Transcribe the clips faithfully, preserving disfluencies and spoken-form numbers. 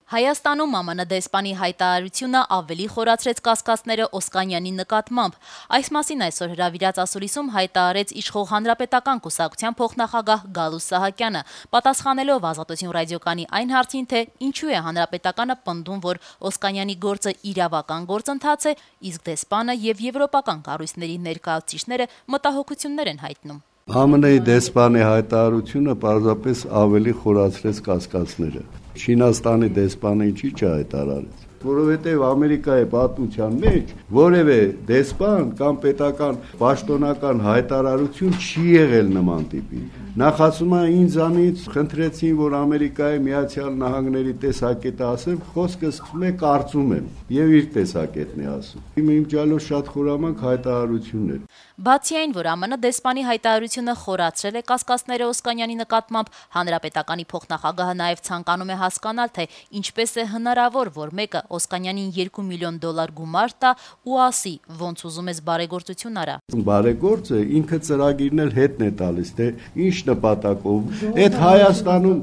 Հայաստանում Մ Մ Ն դեսպանի հայտարարությունը ավելի խորացրեց կասկածները Օսկանյանի նկատմամբ։ Այս մասին այսօր հրավիրած ասուլիսում հայտարարեց իշխող Հանրապետական կուսակցության փոխնախագահ Գալուստ Սահակյանը, պատասխանելով Ազատություն ռադիոկայանի այն հարցին, թե ինչու է Հանրապետականը պնդում, որ Օսկանյանի գործը իրավական գործընթաց է, իսկ դեսպանը եւ եվրոպական կառույցների ներկայացուցիչները մտահոգություններ են հայտնում։ Մ Մ Ն-ի դեսպանի հայտարարությունը պարզապես ավելի խորացրեց կասկածները։ Չինաստանի դեսպանը ինչի՞ չհայտարարեց, որովհետև Ամերիկայի պատմության մեջ որևէ դեսպան կամ պետական պաշտոնական հայտարարություն չի եղել նման տիպի։ Նախ ասում է ինձանից խնդրեցին, որ Ամերիկայի Միացյալ Նահանգների տեսակետը ասեմ, խոսքը սկսում է կարծում եմ, եւ իր տեսակետն է ասում։ Իմ իմջալով շատ խորամանկ հայտարարություններ։ Բացի այն, որ Մ Մ Ն դեսպանի հայտարարությունը խորացրել է կասկածները Օսկանյանի նկատմամբ, Հանրապետականի փոխնախագահը նաև ցանկանում է հասկանալ, թե ինչպես է հնարավոր, որ մեկը Օսկանյանին երկու միլիոն դոլար գումար տա ու ասի, ոնց ուզում ես բարեգործություն արա։ Բարեգործը ինքը ծրագիրն էլ հետն է տալիս, թե ինչ նպատակով։ Այդ Հայաստանում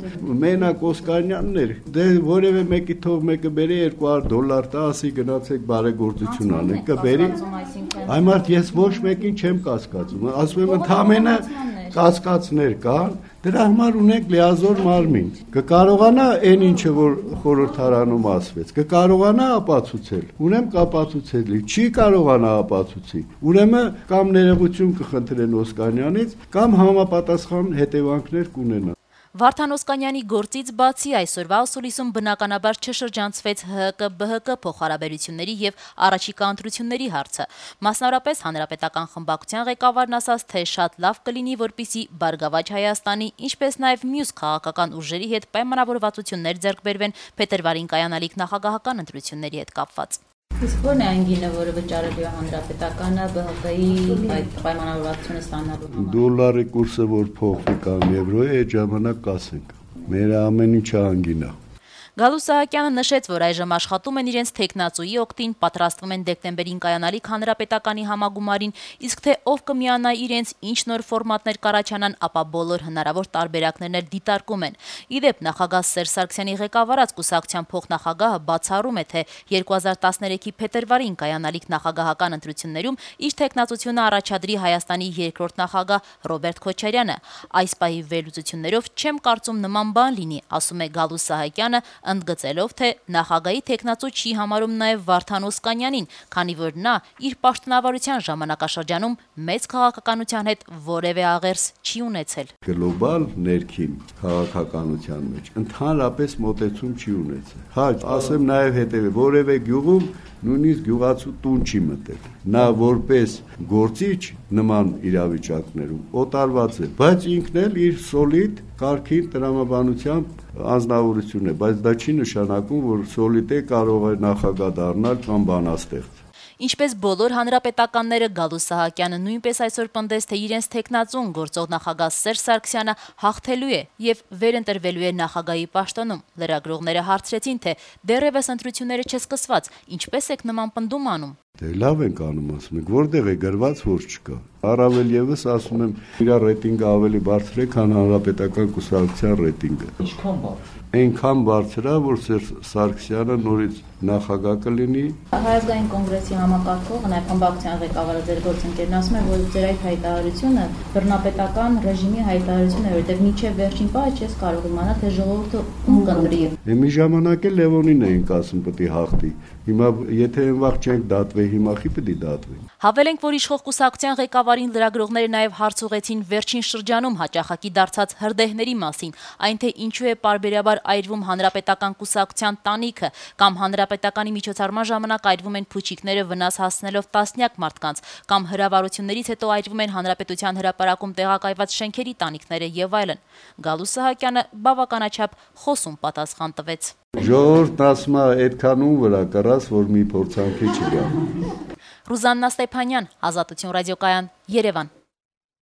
մենակ Օսկանյանն էր, դե որևէ մեկի թող մեկը բերի երկու հարյուր դոլար տա, ասի գնացեք բարեգործություն անեք, կբերի։ Այմարդ ես ոչ մեկին չեմ կասկածում, ասում եմ ընդամենը կասկածներ կան, դրա համար ունենք լիազոր մարմին, կկարողանա այն ինչը որ խորհրդարանում ասվեց, կկարողանա ապացուցել, ուրեմն կապացուցելի, չի կարողանա ապացուցի, ուրեմն կամ ներողություն կխնդրեն Օսկանյանից, կամ համապատասխան հետևանքներ կունենա։ Վարդան Օսկանյանի գործից բացի այսօրվա ասուլիսում բնականաբար չշրջանցվեց Հ Հ Կ Բ Հ Կ փոխհարաբերությունների եւ առաջիկա ընտրությունների հարցը։ Մասնավորապես Հանրապետական խմբակցության ղեկավարն ասաց, թե շատ լավ կլինի, որպեսզի Բարգավաճ Հայաստանի, ինչպես նաեւ մյուս քաղաքական ուժերի հետ պայմանավորվածություններ ձեռք բերվեն փետրվարին կայանալիք նախագահական ընտրությունների հետ կապված։ Իսկ ո՞րն է այն գինը, որը վճարելու է Հանրապետականը Բ Հ Կ-ի այդ պայմանավորվածությունը ստանալու համար։ Դոլարի կուրսը որ փոխվի կամ եվրոյի, այդ ժամանակ կասենք։ Մեր ամեն ինչը անգին է։ Գալուստ Սահակյանը նշեց, որ այժմ աշխատում են իրենց թեկնածուի օգտին, պատրաստվում են դեկտեմբերին կայանալիք Հանրապետականի համագումարին, իսկ թե ով կմիանա իրենց, ինչ նոր ֆորմատներ կառաջանան, ապա բոլոր հնարավոր տարբերակներն էլ դիտարկում են։ Ի դեպ, նախագահ Սերժ Սարգսյանի ղեկավարած կուսակցության փոխնախագահը բացառում է, թե երկու հազար տասներեքի փետրվարին կայանալիք նախագահական ընտրություններում իր թեկնածությունը առաջադրի Հայաստանի երկրորդ նախագահ Ռոբերտ Քոչարյանը։ Այս պահի վերլուծություններով չեմ կարծում նման բան լինի, ասում է Գալուստ Սահակյանը, ընդգծելով, թե նախագահի թեկնածու չի համարում նաև Վարդան Օսկանյանին, քանի որ նա իր պաշտոնավարության ժամանակաշրջանում մեծ քաղաքականության հետ որևէ աղերս չի ունեցել։ Գլոբալ ներքին քաղաքականության մեջ ընդհանրապես մոտեցում չի ունեցել։ Հա, ասեմ նաև հետևը, որևէ գյուղում նույնիսկ գյուղացու տուն չի մտել։ Նա որպես գործիչ նման իրավիճակներում օտարված է, բայց ինքն էլ իր սոլիդ կարգին տրամաբանությամբ անձնավորություն է, բայց դա չի նշանակում, որ սոլիդ է կարող է նախագահ դառնալ կամ բանաստեղծ։ Ինչպես բոլոր հանրապետականները, Գալուստ Սահակյանը նույնպես այսօր պնդեց, թե իրենց թեկնածուն գործող նախագահ Սերժ Սարգսյանը հաղթելու է եւ վերընտրվելու է նախագահի պաշտոնում։ Լրագրողները հարցրեցին, թե դեռևս ընտրությունները չսկսված, ինչպես եք նման պնդում անում։ Դե լավ ենք անում, ասում եք, որտեղ է գրված, որ չկա։ Առավել եւս ասում եմ, իր ռեյտինգը ավելի բարձր է, քան Հանրապետական կուսակցության ռեյտինգը։ Ինչքան բարձր։ Այնքան բարձր է, որ Սերժ Սարգսյանը նորից նախագահ կլինի։ Հայազգային կոնգրեսի համակարգողը, նաև խմբակցության ղեկավարը ձեր գործընկերն ասում է, որ ձեր այդ հայտարարությունը բռնապետական ռեժիմի հայտարարություն է, որտեղ մինչև վերջին պահը չես կարող իմանալ, թե ժողովուրդը ում կընտրի։ Մի ժամանակ էլ Լևոնին էինք ասում պետք է հաղթի։ Հիմա եթե այնվաղ չենք դատվի, հիմա խի պետք է դատվի։ Հավելենք, որ իշխող կուսակցության ղեկավարին լրագրողները նաև հարց ուղեցին վերջին շրջանում հաճախակի դարձած հրդեհների մասին, այն թե ինչու է պարբերաբար այրվում Հանրապետական կուսակցության տանիքը կամ Հանրապետականի միջոցառման ժամանակ այրվում են փուչիկները վնաս հասցնելով տասնյակ մարդկանց, կամ հրավառություններից հետո այրվում են Հանրապետության հրապարակում տեղակայված շենքերի տանիքները եւ այլն։ Գալուստ Սահակյանը բավականաչափ խոսուն պատասխան տվեց։ Ժողովուրդն ասում է այդքանուն վրա կռած, որ մի փորձանքի չգա։ Ռուզաննա Ստեփանյան, Ազատություն ռադիոկայան, Երևան։